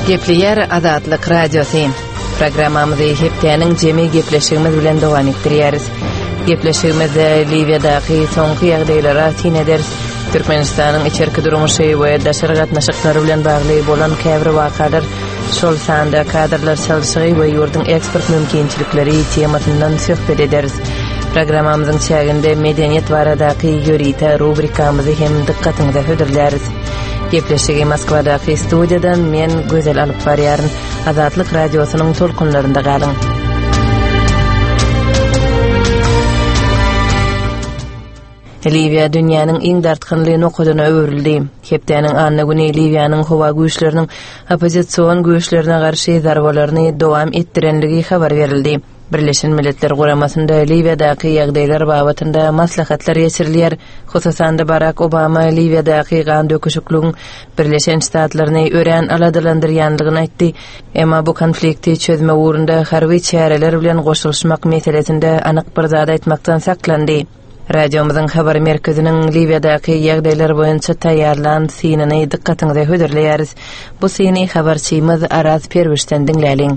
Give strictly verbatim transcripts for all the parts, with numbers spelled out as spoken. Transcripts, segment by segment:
Gepleýär Azatlyk Radiosy. Programmamyzy hepdäniň jemi gepleşigimiz bilen dowam etdirýäris. Gepleşigimizde Liwiýadaky soňky ýagdaýlara syn ederis. Türkmenistanyň içerki durmuşy we daşary gatnaşyklary bilen bagly bolan käbir wakalar, şol sanda kadrlar çalşygy we ýurduň eksport mümkinçilikleri temasyndan söhbet ederis. Programmamyzyň çäginde medeniýet baradaky ýörite rubrikamyzy hem dykgatyňyza hödürläris. Gepleşigi Moskwadaky studiýadan men Gözel alyp barýaryn. Azatlyk Radiosynyň tolkunlarynda galyň. Liwiýa dünýäniň iň dartgynly nokadyna öwrüldi. Hepdäniň anna güni Liwiýanyň howa güýçleriniň oppozision güýçlerine garşy zarbalaryny dowam etdirenligi habar berildi. Birleşen Milletler Guramasynda Liwiýadaky ýagdaýlar babatynda maslahatlar geçirilýär. Hususan-da Barak Obama Liwiýadaky gan döküşikligiň Birleşen Ştatlaryny örän aladalandyrýanlygyny aýtdy. Emma bu konflikti çözmek ugrunda harby çäreler bilen goşulyşmak meselesinde anyk bir zat aýtmakdan saklandy. Radiomyzyň habar merkeziniň Liwiýadaky ýagdaýlar boýunça taýýarlan synyny dykgatyňyza hödürleýäris. Bu syny habarçymyz Araz Perwişden diňläliň.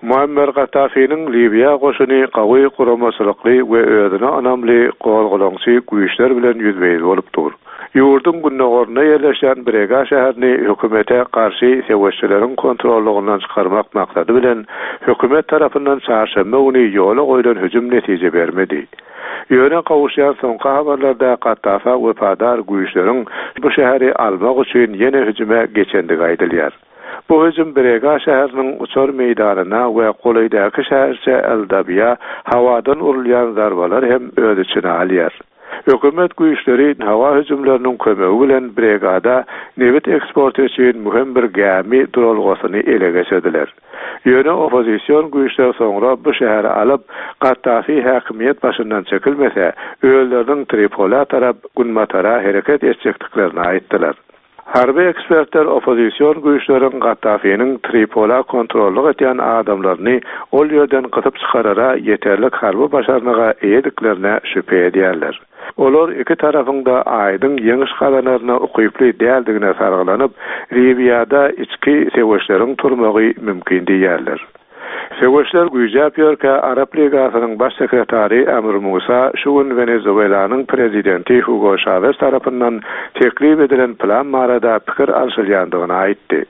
Muammer Gaddafiniň Liwiýa goşuny gawy guramaçylykly we özüne ynamly gozgalaňçy güýçler bilen ýüzbe-ýüz bolup dur. Ýurduň gündogarynda ýerleşýän Brega şäherini hökümete garşy söweşçileriň kontrollugyndan çykarmak maksady bilen hökümet tarapyndan çarşenbe güni ýola goýlan hüjüm netije bermedi. Ýöne gowuşýan soňky habarlarda Gaddafa wepadar güýçleriň bu şäheri almak üçin ýene hüjüme geçendigi aýdylýar. Bu hüjüm Brega şäheriniň uçar meýdanyna we golaýdaky şäherçe El-Dabiýa hawadan urulýan zarbalar hem öz içine alýar. Hökümet güýçleri hawa hüjümleriniň kömegi bilen Bregada nebit eksporty üçin möhüm bir gämi duralgasyny ele geçirdiler. Ýöne oppozision güýçler soňra bu şäheri alyp, Gaddafi häkimiýet başyndan çekilmese, özleriniň Tripola tarap günbatara hereket etjekdiklerini aýtdylar. Harby ekspertler oppozision güýçleriň Gaddafiniň Tripola kontrollyk edýän adamlaryny ol ýerden gysyp çykarara ýeterlik harby başarnyga eýediklerine şübhe edýärler. Olar iki tarapyň-da aýdyň ýeňiş gazanaryna ukyply däldigine sargylanyp, Liwiýada içki söweşleriň turmagy mümkin diýýärler. Söweşler güýjäp ýörkä Arap Ligasynyň baş sekretary Amr Musa şu gün Wenezuelanyň prezidenti Hugo Chavez tarapyndan teklip edilen plan barada pikir alşylýandygyny aýtdy.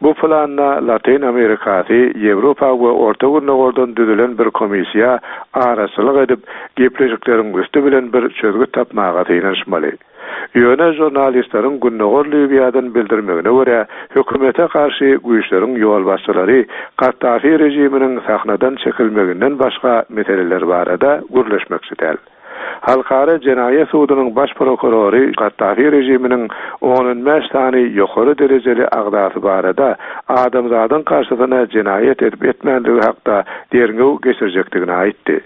Bu planda Latin Amerikasy, Ýewropa we Orta Gündogardan düzülen bir komissiýa araçylyk edip, gepleşikleriň üsti bilen bir çözgüt tapmaga synanyşmaly. Ýöne žurnalistleriň Gündogar Liwiýadan bildirmegine görä, hökümete garşy güýçleriň ýolbaşçylary Gaddafi režiminiň sahnadan çekilmeginden başga meseleler barada gürleşmekçi däl. Halkara Jenaýat sudunyň baş prokurory Gaddafi režiminiň on bäş sany ýokary derejeli agzasy barada adamzadyň garşysyna jenaýat edip etmänligi hakda derňew geçirjekdigini aýtdy.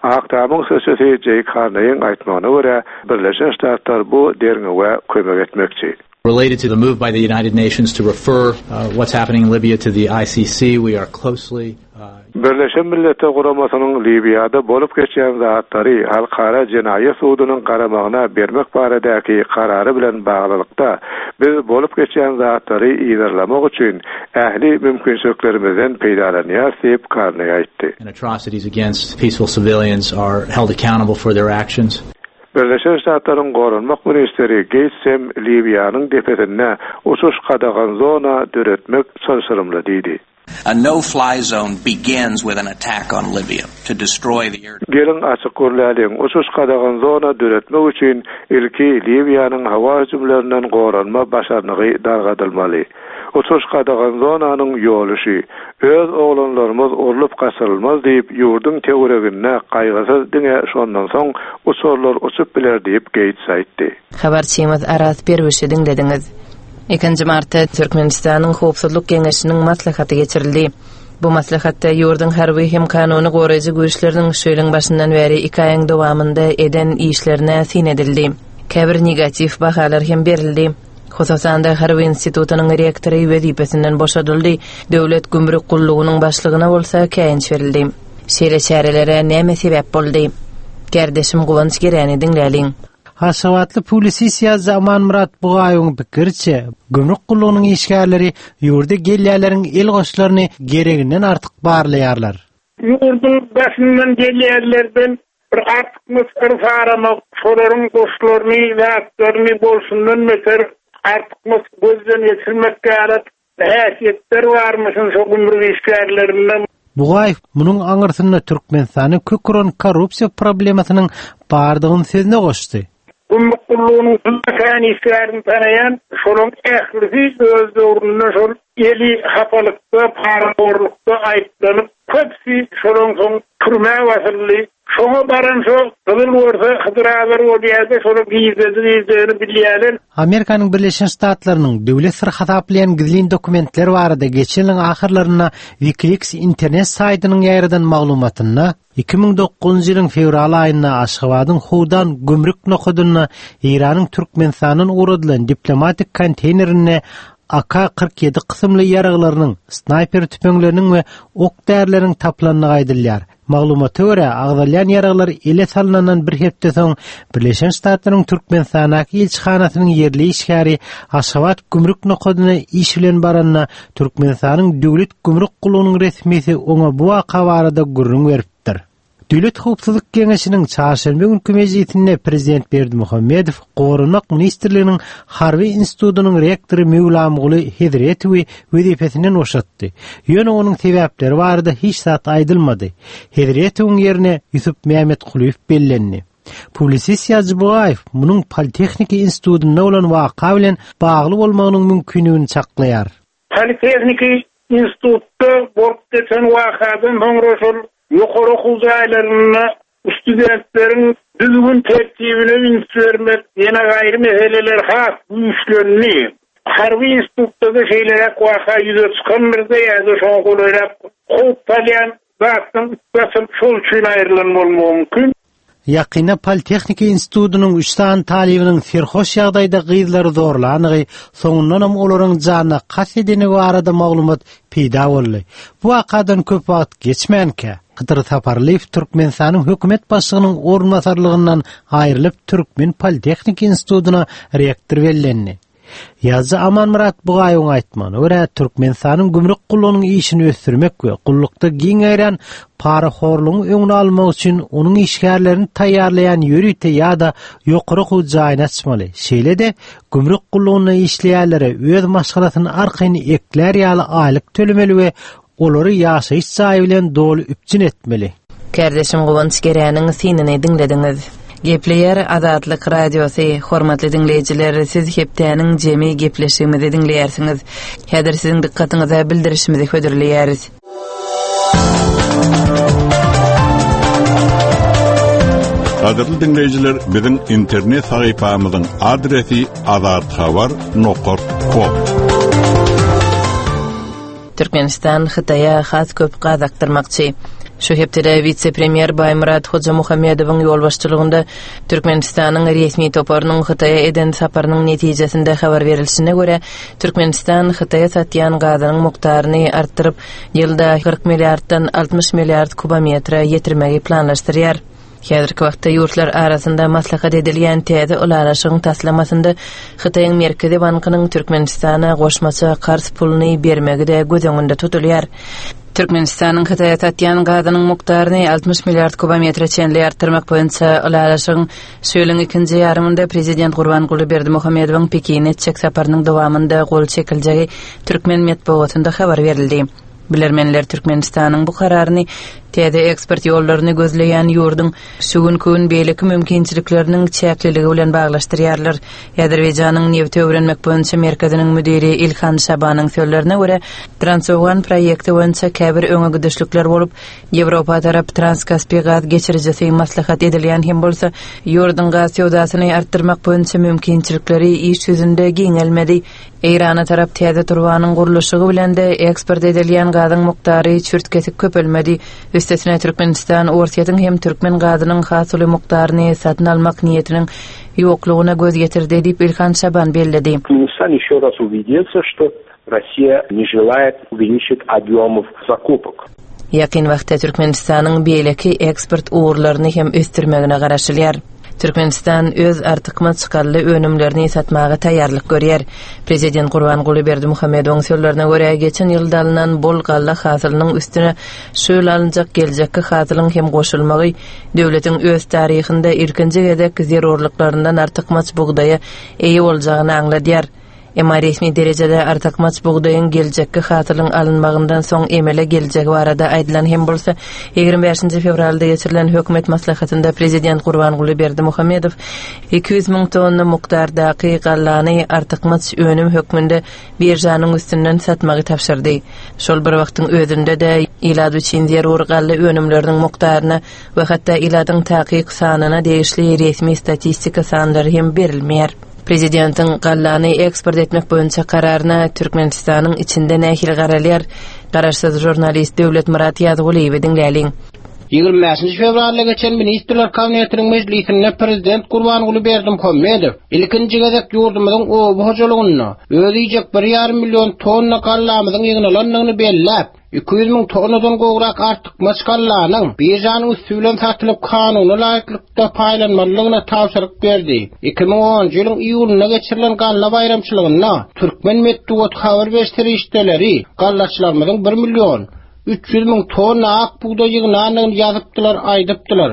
Ak Tamyň sözçüsi Jeý Karneýiň aýtmagyna görä, Birleşen Ştatlar bu derňewe kömek etmekçi. Related to the move by the United Nations to refer, uh, what's happening in Libya to the I C C, we are closely uh, Birleşen Milletler Guramasynyň Liwiýada bolup geçýän zatlary Halkara Jenaýat sudunyň garamagyna bermek baradaky karary bilen baglylykda biz bolup geçýän zatlary yzarlamak üçin ähli mümkinçiliklerimizden peýdalanýarys diýip Karneý aýtdy. And atrocities against peaceful civilians are held accountable for their actions. Birleşen Ştatlaryň Goranmak ministri Gates hem Liwiýanyň depesinde uçuş gadagan zona döretmek çylşyrymly diýdi. A no-fly zone begins with an attack on Libya to destroy the air. Geliň açyk gürläliň, uçuş gadagan zona döretmek üçin ilki Liwiýanyň hawa hüjümlerinden goranma başarnygy dargadylmaly. Uçuş gadagan zonanyň ýoly şu. Öz oglanlarymyz urlup gaçyrylmaz diýip, ýurduň töwereginde gaýgysyz diňe şondan soň uçarlar uçup biler diýip Gates aýtdy. Habarçymyz Araz Perwişi diňlediňiz. Ikinji martda Türkmenistanyň Howpsuzlyk Geňeşiniň maslahaty geçirildi. Bu maslahatda ýurduň harby hem kanuny goraýjy güýçleriniň şu ýylyň başyndan bäri iki aýyň dowamynda eden işlerine syn edildi. Käbir negatiw bahalar hem berildi. Hususan-da Harby institutynyň rektory wezipesinden boşadyldy, Döwlet gümrük gullugynyň başlygyna bolsa käýinç berildi. Şeýle çärelere näme sebäp boldy? Kärdeşim Guwanç Geräni diňläliň. Aşgabatly publisist ýazyjy Amanmyrat Bugaýewiň pikiriçe, gümrük gullugynyň işgärleri ýurda gelýänleriň el goşlaryny gereginden artyk barlaýarlar. Ýurduň daşyndan gelýänlerden bir artykmaç yrs aramak, şolaryň goşlaryny, zatlaryny bolşundan beter artykmaç gözden geçirmek ýaly häsiýetler barmyşyn şo gümrük işgärlerinde. Bugaýew munuň aňyrsynda Türkmenistany kök uran korrupsiýa problemasynyň bardygyny sözüne goşdy. Gümrük gullugynyň kän işgärini tanaýan, şolaryň ählisi öz döwründe şol eli hapalykda, parahorlukda aýyplanyp, köpüsi şolaryň soň türmä basyldy. Şoňa baran şo gyzyl görse Hydyr azar bolýardy, şolar gizledi gizlegini bilýärler. Amerikanyň Birleşen Ştatlarynyň döwlet syry hasaplaýan gizlin dokumentler barada geçen ýylyň ahyrlarynda WikiLeaks internet saýtynyň ýaýradan maglumatynda iki müň dokuzynjy ýylyň fewral aýynda Aşgabadyň Howdan gümrük nokadynda Eýranyň Türkmenistandan ugradylan diplomatik konteýnerinde A K kyrk ýedi kysymly ýaraglarynyň, snaýper tüpeňleriniň we ok därileriniň tapylandygy aýdylýar. Maglumata görä, agzalýan ýaraglar ele salynandan bir hepde soň Birleşen Ştatlaryň Türkmenistandaky ilçihanasynyň ýerli işgäri Aşgabat gümrük nokadyna iş bilen baranda Türkmenistanyň Döwlet gümrük gullugynyň resmisi oňa bu waka barada gürrüň beripdir. Döwlet Howpsuzlyk Geňeşiniň çarşenbe günki mejlisinde Prezident Berdimuhamedow Goranmak Ministrliginiň Harby institutynyň rektory Möwlamguly Hezretowy wezipesinden boşatdy. Ýöne onuň sebäpleri barada hiç zat aýdylmady. Hezretowyň ýerine Ýusup Mehmetkulyýew bellendi. Publisist ýazyjy Bugaýew munuň Politehniki institutynda bolan waka bilen bagly bolmagynyň mümkinligini çaklaýar. Politehniki institutda bolup geçen wakadan soňra şol ýokary okuw jaýlarynda studentleriň düzgün tertibine üns bermek, ýene gaýry meseleler has güýçlendi. Harby institutda da şeýleräk waka ýüze çykandyr-da, ýa-da şoňa golaýrak howp salýan zatdan üstbaşyl şol üçin aýrylan bolmagy mümkin. Ýakynda Politehniki institutynyň üç sany talybynyň serhoş ýagdaýda gyzlary zorlandygy, soňundanam olaryň janyna kast edeni barada maglumat peýda boldy. Bu wakadan köp wagt geçmänkä, Hydyr Saparlyýew Türkmenistanyň hökümet başlygynyň orunbasarlygyndan aýrylyp Türkmen Politehniki institutyna rektor bellendi. Ýazyjy Amanmyrat Bugaýewiň aýtmagyna görä, Türkmenistanyň gümrük gullugynyň işini ösdürmek we gullukda giň ýaýran parahorlugyň öňüni almak üçin onuň işgärlerini taýýarlaýan ýörite ýa-da ýokary okuw jaýyny açmaly. Şeýle-de gümrük gullugynda işleýänlere öz maşgalasyny arkaýyn eklär ýaly aýlyk tölemeli we olary ýaşaýyş jaýy bilen doly üpjün etmeli. Kardeşim Guwanç Geräniň synyny diňlediňiz. Gepleýär Azatlyk Radiosy. Hormatly diňleýjiler, siz hepdäniň jemi gepleşigimizi diňleýärsiňiz. Häzir siziň dykgatyňyza bildirişimizi hödürleýäris. Gadyrly diňleýjiler, biziň internet sahypamyzyň adresi azathabar nokta com. Türkmenistan Hytaýa has köp gaz akdyrmakçy. Şu hepdede wise-premýer Baýmyrat Hojamuhammedowyň ýolbaşçylygynda Türkmenistanyň resmi toparynyň Hytaýa eden saparynyň netijesinde habar berilişine görä, Türkmenistan Hytaýa satýan gazynyň mukdaryny artdyryp, ýylda kyrk milliarddan altmyş milliard kubometre ýetirmegi planlaşdyrýar. Häzirki wagtda ýurtlar arasynda maslahat edilýän täze ylalaşygyň taslamasynda Hytaýyň Merkezi Bankynyň Türkmenistana goşmaça karz puluny bermegi-de göz öňünde tutulýar. Türkmenistanyň Hytaýa satýan gazynyň mukdaryny altmyş milliard kubometre çenli artdyrmak boýunça ylalaşygyň şu ýylyň ikinji ýarymynda Prezident Gurbanguly Berdimuhamedowyň Pekine etjek saparynyň dowamynda gol çekiljegi türkmen metbugatynda habar berildi. Bilermenler Türkmenistanyň bu kararyny täze eksport ýollaryny gözleýän ýurduň şu günki gün beýleki mümkinçilikleriniň çäkliligi bilen baglaşdyrýarlar. Azerbaýjanyň nebti öwrenmek boýunça merkeziniň müdiri Ilhan Şabanyň sözlerine görä, Transowgan proýekti boýunça käbir öňe gidişlikler bolup, Ýewropa tarap Transkaspi gaz geçirijisi maslahat edilýän hem bolsa, ýurduň gaz söwdasyny artdyrmak boýunça mümkinçilikleri iş ýüzünde giňelmedi. Eýrana tarap täze turbanyň gurluşygy bilen de eksport edilýän gazyň mukdary çürt-kesik köpelmedi. Üstesine Türkmenistan Orsýetiň hem türkmen gazynyň has uly mukdaryny satyn almak niýetiniň ýoklugyna göz getirdi diýip Ilhan Şaban belledi. Türkmenistan еще раз убедился, что Россия не желает увеличить объемов закупок. Ýakyn wagtda Türkmenistanyň beýleki eksport ugurlaryny hem ösdürmegine garaşylýar. Türkmenistan öz artykmaç galla önümlerini satmaga taýýarlyk görýär. Prezident Gurbanguly Berdimuhamedowyň sözlerine görä, geçen ýylda alnan bol galla hasylynyň üstüne şu ýyl alynjak geljekki hasylyň hem goşulmagy döwletiň öz taryhynda ilkinji gezek zerurlyklaryndan artykmaç bugdaýa eýe boljagyny aňladýar. Emma resmi derejede artykmaç bugdaýyň geljekki hasylyň alynmagyndan soň emele geljegi barada aýdylan hem bolsa, ýigrimi bäşinji fewralda geçirilen hökümet maslahatynda prezident Gurbanguly Berdimuhamedow iki ýüz müň tonna mukdardaky gallany artykmaç önüm hökmünde biržanyň üstünden satmagy tabşyrdy. Şol bir wagtyň özünde-de ilat üçin zerur galla önümleriniň mukdaryna we hatda ilatyň takyk sanyna degişli resmi statistika sanlary hem berilmeýär. Prezidentiň gallany eksport etmek boýunça kararyna Türkmenistanyň içinde nähili garalýar? Garaşsyz žurnalist Döwletmyrat Ýazgulyýewi diňläliň. Ýigrimi bäşinji fewralda geçen Ministrler Kabinetiniň mejlisinde Prezident Gurbanguly Berdimuhamedow ilkinji gezek ýurdumyzyň oba hojalygynda öz iýjek bir ýarym million tonna gallamyzyň ýygnalandygyny belläp, iki ýüz müň tonnadan gowrak artykmaç gallanyň biržanyň üsti bilen satylyp kanuna laýyklykda paýlanmalydygyna tabşyryk berdi. Iki müň onunjy ýylyň iýulynda geçirilen galla baýramçylygynda türkmen metbugat habar beriş serişdeleri gallaçylarymyzyň bir million üç ýüz müň tonna ak bugdaý ýygnandygyny ýazypdylar, aýdypdylar.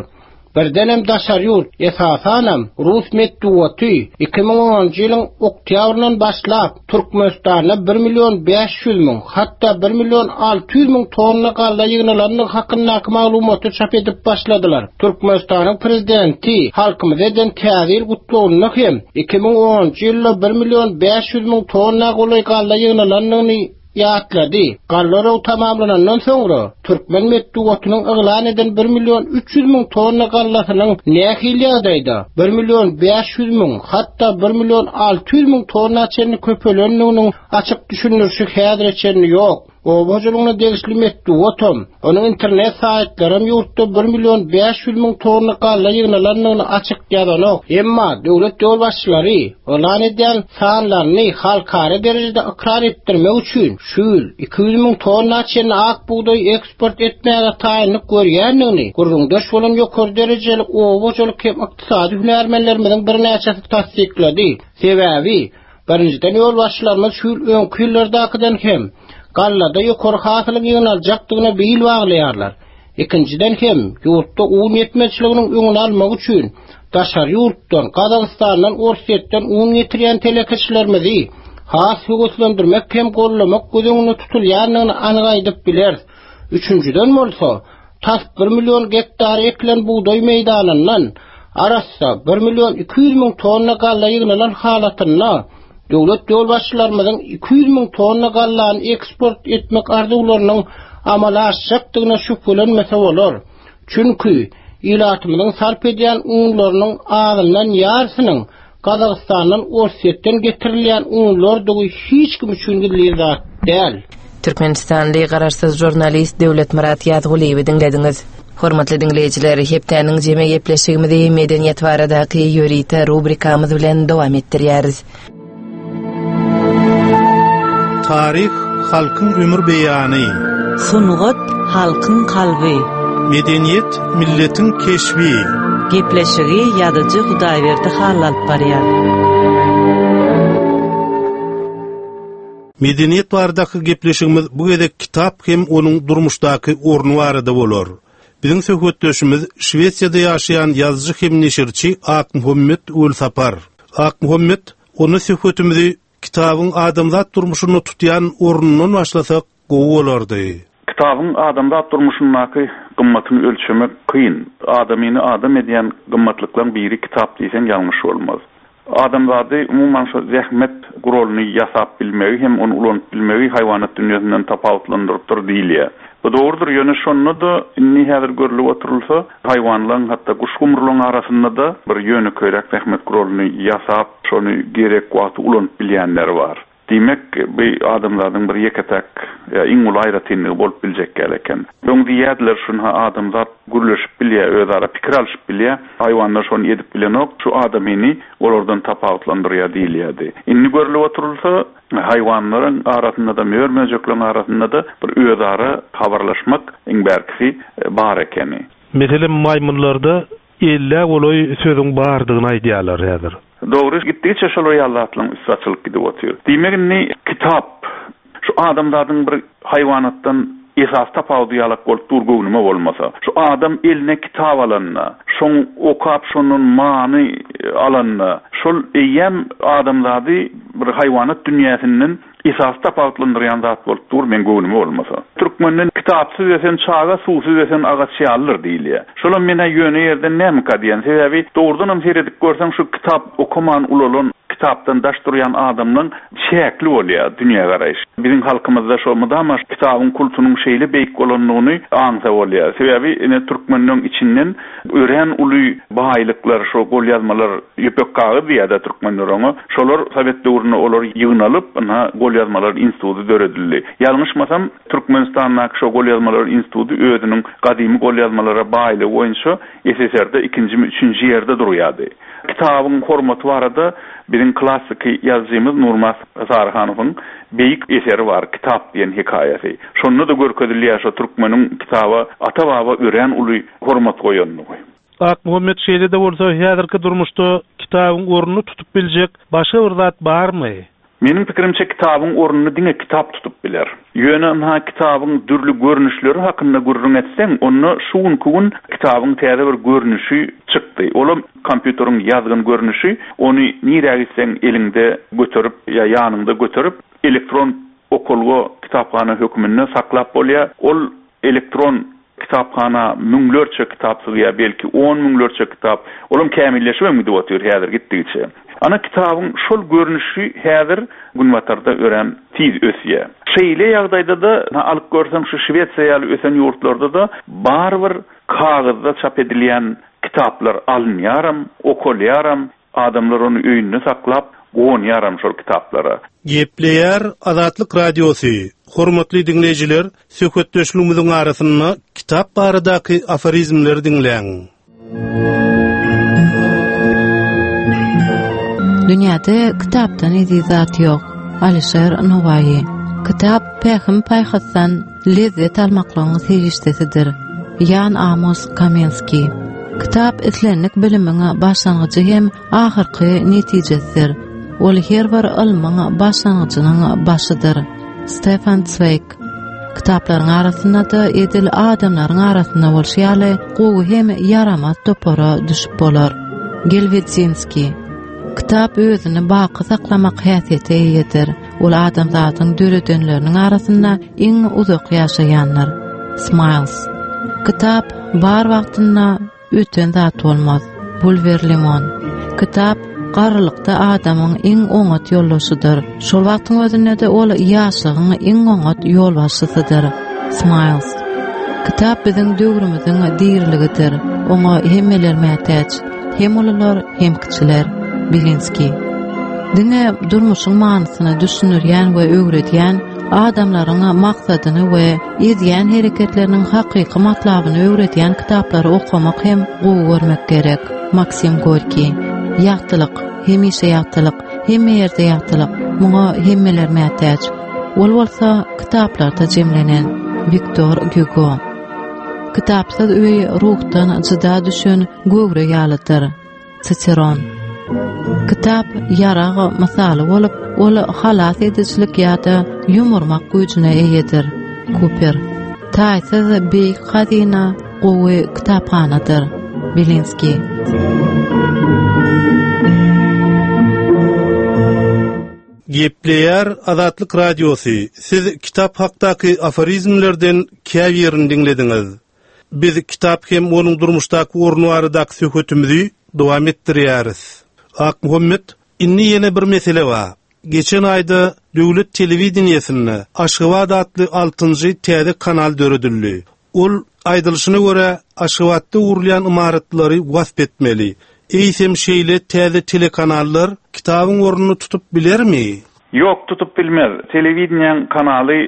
Birdenem daşary ýurt, esasanam rus metbugaty iki müň onunjy ýylyň oktýabryndan başlap Türkmenistanda bir million bäş ýüz müň, hatda bir million alty ýüz müň tonna galla ýygnalandygy hakyndaky maglumaty çap edip başladylar. Türkmenistanyň prezidenti halkymyza eden täze ýyl gutlagynda hem iki müň onunjy ýylda bir million bäş ýüz müň tonna golaý galla ýygnalandygyny ýatlady. Galla oragy tamamlanandan soňra türkmen metbugatynyň yglan eden bir million üç ýüz müň tonna gallasynyň nähili ýagdaýda bir million bäş ýüz müň, hatda bir million alty ýüz müň tonna çenli köpelendiginiň açyk düşündirişi häzire çenli ýok. Oba hojalygyna degişli metbugatam, onuň internet saýtlaram ýurtda bir million bäş ýüz müň tonna galla ýygnalandygyny açyk ýazanok. Emma döwlet ýolbaşçylary yglan edýän sanlaryny halkara derejede ykrar etdirmek üçin şu ýyl iki ýüz müň tonna çenli ak bugdaý eksport etmäge taýynlyk görýändigini gürrüňdeş bolan ýokary derejeli oba hojalyk hem ykdysady hünärmenlerimiziň birnäçesi tassyklady. Sebäbi birinjiden ýolbaşçylarymyz şu ýyl öňki ýyllardakydan hem gallada ýokary hasylyň ýygnaljakdygyna bil baglaýarlar. Ikinjiden hem ýurtda un ýetmezçiliginiň öňüni almak üçin daşary ýurtdan, Gazagystandan, Orsýetden un getirýän telekeçilerimizi has höweslendirmek hem gollamak göz öňünde tutulýandygyny anyk aýdyp bileris. Üçünjiden bolsa, tas bir million gektar ekilen bugdaý meýdanyndan arassa bir million iki ýüz müň tonna galla ýygnalan halatynda döwlet ýolbaşçylarymyzyň iki ýüz müň tonna gallany eksport etmek arzuwlarynyň amala aşjakdygyna şübhelenmese bolar. Çünki ilatymyzyň sarp edýän unlarynyň azyndan ýarysynyň Gazagystandan, Orsýetden getirilýän unlardygy hiç kim üçin gizlin zat däl. Türkmenistanly garaşsyz žurnalist Döwletmyrat Ýazgulyýewi diňlediňiz. Hormatly diňleýjiler, hepdäniň jemi gepleşigimizi medeniýet baradaky ýörite rubrikamyz bilen dowam etdirýäris. Taryh halkyň ömür beýany. Sungat halkyň kalby. Medeniýet milletiň keşbi. Gepleşigi ýazyjy Hudaýberdi Hally alyp barýar. Medeniýet baradaky gepleşigimiz bu gezek kitap hem onuň durmuşdaky orny barada bolar. Biziň söhbetdeşimiz Şwesiýada ýaşaýan ýazyjy hem neşirçi Akmuhammet Welsapar. Akmuhammet, onda söhbetimizi kitabyň adamzat durmuşynda tutýan ornundan başlasak gowy bolardy. Kitabyň adamzat durmuşyndaky gymmatyny ölçemek kyn. Adamyny adam edýän gymmatlyklaryň biri kitap diýseň ýalňyş bolmaz. Adamzady umuman şu zähmet guralyny ýasap bilmegi hem ony ulanyp bilmegi haýwanat dünýäsinden tapawutlandyrypdyr diýilýär. Bu dogrudyr, ýöne şonda-da indi häzir görlüp oturylsa, haýwanlaryň hatda guş gumrularyň arasynda-da bir ýönekeýräk zähmet guralyny ýasap, şony gerek wagty ulanyp bilýänleri bar. Diýmek, bu adamzadyň bir ýeke-täk, ýa iň uly aýratynlygy bolup biljek ýaly eken. Öň diýýärdiler, şunha adamzat gürleşip bilýär, özara pikir alyşyp bilýär, haýwanlar şony edip bilenok, şu adamyny olardan tapawutlandyrýar diýilýärdi. Indi görlüp oturylsa, haýwanlaryň arasynda-da, mör-möjekleriň arasynda-da bir özara habarlaşmak iň bärkisi bar ekeni. Meselem, maýmynlarda ellä golaý sözüň bardygyny aýdýarlar häzir. Dogry, gitdigiçe şol ýaly üsti açylyp gidip otyr. Diýmek indi kitap şu adamzadyň bir haýwanatdan esas tapawudy ýalak bolup dur göwnüme bolmasa. Şu adam eline kitap alanda, şoň okap şondan many alanda, şol eýýäm adamzady bir haýwanat dünýäsinden esas tapawutlandyrýan zat bolup dur men göwnüme bolmasa. Türkmenden kitapsyz ösen çaga, suwsuz ösen agaç ýalydyr diýilýär. Şolam mena ýöne ýerden nämika diýen sebäbi dogrudanam seredip görseň şu kitap okaman ulalan kitapdan daş durýan adamlaryň çäkli bolýar dünýä garaýyş. Biziň halkymyzda şo mudama kitabyň kultunyň şeýle beýik bolandygyny aňsa bolýar. Sebäbi ine türkmenleň içinden örän uly baýlyklar, şo golýazmalar ýüpek kagyz diýýär türkmenler oňa. Şolar Sowet döwründe olar ýygnalyp, ynha golýazmalar instituty döredildi. Ýalňyşmasam Türkmenistandaky şo golýazmalar instituty özüniň gadymy golýazmalara baýlygy boýunça S S R-de ikinji mi üçünji ýerde durýardy. Kitabyň hormaty barada biziň klassyky ýazyjymyz Nurmas Saryhanowyň beýik eseri bar, Kitap diýen hekaýasy. Şonda da görkezilýär şo türkmeniň kitaba ata-baba örän uly hormat goýandygy. Akmuhammet, şeýle-de bolsa häzirki durmuşda kitabyň ornuny tutup biljek başga bir zat barmy? Meniň pikirimçe kitabyň ornuny diňe kitap tutup biler. Ýöne ynha kitabyň dürli görnüşleri hakynda gürrüň etseň, onda şu günki gün kitabyň täze bir görnüşi çykdy. Olam kompýuteriň ýazgyn görnüşi, ony nirä gitseň eliňde göterip ýa ýanyňda göterip elektron okulga kitaphana hökmünde saklap bolýar. Ol elektron kitaphana müňlerçe kitap sygýar, belki on müňlerçe kitap. Olam kämilleşip hem gidip otyr häzir gitdigiçe. Ana kitabyň şol görnüşi häzir günbatarda örän tiz ösýär. Şeýle ýagdaýda da alyp görseň şu Şwesiýa ýaly ösen ýurtlarda da barybir kagyzda çap edilýän kitaplar alynýaram, okulýaram, adamlar ony öýünde saklap gonýaram şol kitaplara. Gepleýär Azatlyk Radiosy. Hormatly diňleýjiler, söhbetdeşligimiziň arasynda kitap baradaky aforizmleri diňläň. Dünýäde kitapdan eziz zat ýok. Alişer Nowaýy. Kitap pähim paýhasdan lezzet almaklygyň serişdesidir. Ýan Amos Kamenski. Kitap islendik bilimiň başlangyjy hem ahyrky netijesidir. Ol her bir ylmyň başlangyjynyň başydyr. Stefan Zweig. Kitaplaryň arasynda da edil adamlaryň arasynda bolşy ýaly gowy hem ýaramaz topara düşüp bolar. Gelwedzinski. Kitap özüni baky saklamak häsiýete eýedir. Ol adamzadyň döredenleriniň arasynda iň uzak ýaşaýanlar. Smiles. Kitap bar wagtynda öten zat bolmaz. Bulwer Limon. Kitap garrylykda adamyň iň oňat ýoldaşydyr. Şol wagtyň özünde de ol ýaşlygyň iň oňat ýolbaşçysydyr. Smiles. Kitap biziň döwrümiziň diriligidir. Oňa hemmeler mätäç. Hem ulular, hem kiçiler. Belinski. Diňe durmuşyň manysyny düşündirýän we öwredýän adamlaryň maksadyny we edýän hereketleriniň hakyky matlabyny öwredýän kitaplary okamak hem gowy görmek gerek. Maksim Gorki. Ýagtylyk, hemişe ýagtylyk, hemme ýerde ýagtylyk. Muňa hemmeler mätäç. Ol bolsa kitaplarda jemlenen. Viktor Hugo. Kitapsyz öý ruhdan jyda düşen göwre ýalydyr. Ciceron. Kitap ýarag mysaly bolup, ol halas edijilik ýa-da ýumurmak güýjüne eýedir. Cooper. Taýsyz beýik hazyna gowy kitaphanadyr. Belinski. Gepleýär Azatlyk Radiosy. Siz kitap hakdaky aforizmlerden käbirini diňlediňiz. Biz kitap hem onuň durmuşdaky orny baradaky söhbetimizi dowam etdirýäris. Akmuhammet, indi ýene bir mesele bar. Geçen aýda döwlet telewideniýesinde Aşgabat atly altynjy täze kanal döredildi. Ol aýdylyşyna görä Aşgabatda gurulýan ymaratlary wasp etmeli. Eýsem şeýle täze telekanallar kitabyň ornuny tutup bilermi? Ýok, tutup bilmez. Telewideniýäň kanaly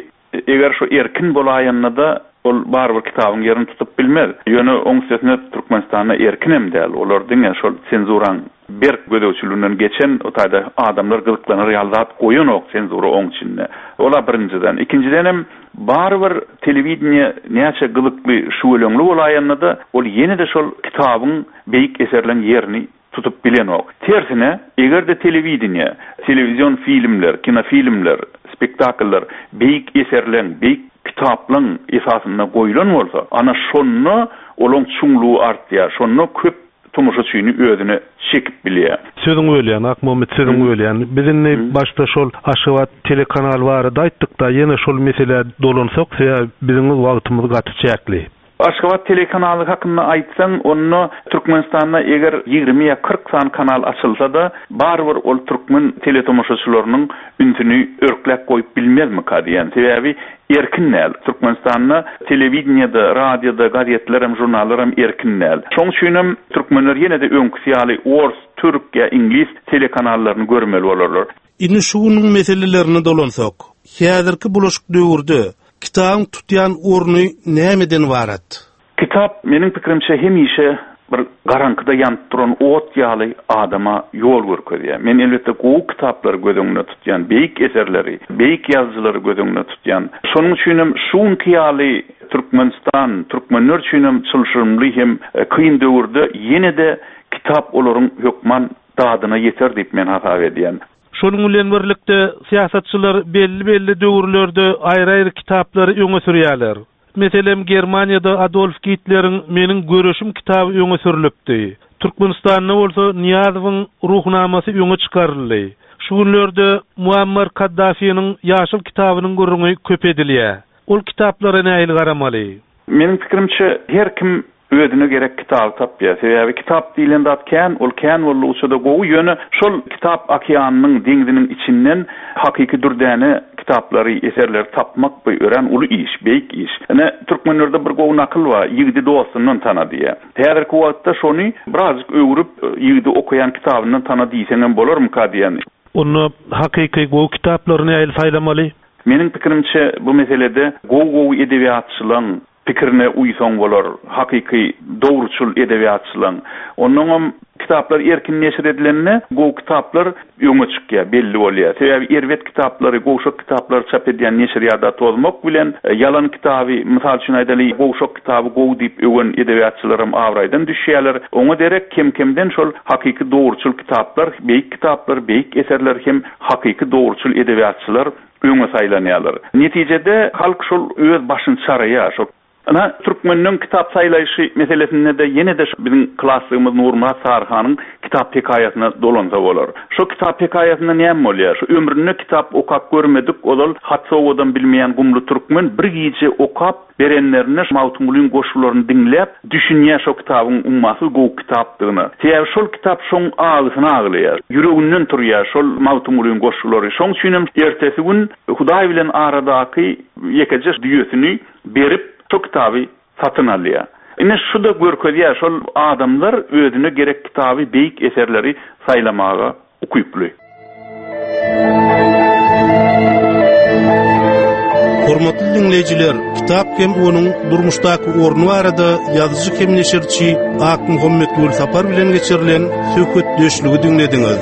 eger şu erkin bolaýanda da ol barybir kitabyň ýerini tutup bilmez. Ýöne oň üstesine Türkmenistanda erkin hem däl. Olar diňe şol senzuraň Berk gözegçiliginden geçen o taýda adamlar gyzyklanar ýaly zat goýanok senzura oň içinde. Ola birinjiden. Ikinjidenem barybir telewideniýe näçe gyzykly şüweleňli bolaýanda-da ol ýene-de şol kitabyň beýik eserleň ýerini tutup bilenok. Tersine, eger-de telewideniýe, telewizion filmler, kinofilmler, spektakllar beýik eserleň, beýik kitaplaň esasynda goýlan bolsa, ana şonda olaň çuňlugy artýar, şonda köp tomaşaçyny özüne çekip bilýär. Sözüň bölýän, Akmuhammet sözüň bölýän. Biz indi başda şol Aşgabat telekanal barada aýtdyk-da, ýene şol meselä dolansak, sebäbi biziň wagtymyz gaty çäkli. Aşgabat telekanaly hakynda aýtsaň, onda Türkmenistanda eger ýigrimi ýa kyrk sany kanal açylsa-da, barybir ol türkmen teletomaşaçylarynyň ünsüni örkläp goýup bilmezmika diýen. Sebäbi erkin däl. Türkmenistanda telewideniýede, radioda, gazetlerem, žurnallaram erkin däl. Şoň üçinem türkmenler ýene-de öňküsi ýaly ors, türk ýa iňlis telekanallaryny görmeli bolarlar. Indi şu günüň meselelerine dolansak, häzirki bulaşyk döwürde kitabyň tutýan orny nämeden ybarat? Kitap meniň pikirimçe hemişe bir garaňkyda ýanyp duran ot ýaly adama ýol görkezýär. Men elbetde gowy kitaplary göz öňünde tutýan, beýik eserleri, beýik ýazyjylary göz öňünde tutýan. Şonuň üçinem şu günki ýaly Türkmenistan, türkmenler üçinem çylşyrymly hem kyn döwürde ýene-de kitap olaryň hökman dadyna ýeter diýip men hasap edýän. Şonuň bilen birlikde syýasatçylar belli-belli döwürlerde aýry-aýry kitaplary öňe sürýärler. Meselem, Germaniýada Adolf Gitleriň Meniň görüşüm kitaby öňe sürülipdi. Türkmenistanda bolsa Niýazowyň Ruhnamasy öňe çykaryldy. Şu günlerde Muammar Kaddafiniň Ýaşyl kitabynyň gürrüňi köp edilýär. Ol kitaplara nähili garamaly? Meniň pikirimçe her kim özüne gerek kitaby tapýar. Sebäbi kitap diýlen zat kän, ol kän boldugyça-da gowy, ýöne şol kitap okeanynyň, deňziniň içinden hakyky dürdäne kitaplary, eserleri tapmak bu örän uly iş, beýik iş. Ine, türkmenlerde bir gowy nakyl bar, ýigidi dostundan tana diýýär. Häzirki wagtda şony birazjyk öwrüp, ýigidi okaýan kitabyndan tana diýseňem bolarmyka diýen. Onda hakyky gowy kitaplary nähili saýlamaly? Meniň pikirimçe bu meselede gowy-gowy edebiýatçylaryň pikirine uýsaň bolar, hakyky dogruçyl edebiýatçylaryň. Onnoňam kitaplar erkin neşir edilende gowy kitaplar öňe çykýar, belli bolýar. Sebäbi erbet kitaplary, gowşak kitaplary çap edýän neşirýada tozmak bilen ýalan kitaby, mysal üçin aýdaly, gowşak kitaby gowy diýip öwen edebiýatçylaram abraýdan düşýärler. Oňa derek kem-kemden şol hakyky dogruçyl kitaplar, beýik kitaplar, beýik eserler hem hakyky dogruçyl edebiýatçylar öňe saýlanýarlar. Netijede halk şol öz başyny çaraýar. Şol Ana, türkmeniň kitap saýlaýşy meselesinde de ýene-de şu biziň klassygymyz Nurmyrat Saryhanyň kitap hekaýasyna dolansa bolar. Şu kitap hekaýasynda näme bolýar? Şu ömründe kitap okap görmedik, ozal hat sowadan bilmeýän gumly türkmen bir gije okap berenlerine Magtymgulyň goşgularyny diňläp düşünýär şo kitabyň ummasyz gowy kitapdygyna. Sebäbi şol kitap şoň agysyny aglaýar. Ýüreginden turýar şol Magtymgulyň goşgulary. Şoň üçinem ertesi gün Hudaý bilen aradaky ýekeje düýesini berip şo kitaby satyn alýar. Ine şu da görkezýär, şol adamlar özüne gerek kitaby, beýik eserleri saýlamaga ukyply. Hormatly dinleýjiler, kitap hem onuň durmuşdaky orny barada ýazyjy hem neşirçi Akmuhammet Welsapar bilen geçirilen söhbetdeşligi diňlediňiz.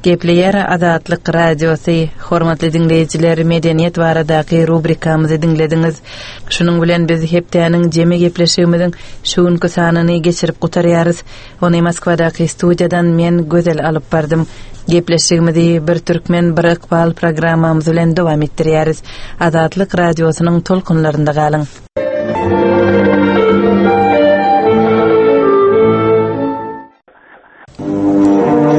Gepleýär Azatlyk Radiosy. Hormatly dinleýjiler, medeniýet baradaky rubrikamyzy diňlediňiz. Şunuň bilen biz hepdäniň jemi gepleşigimiziň şu günki sanyny geçirip gutarýarys. Ony Moskwadaky studiýadan men Gözel alyp bardym. Gepleşigimizi bir türkmen bir ykbal programmamyz bilen dowam etdirýäris. Azatlyk Radiosynyň tolkunlarynda galyň.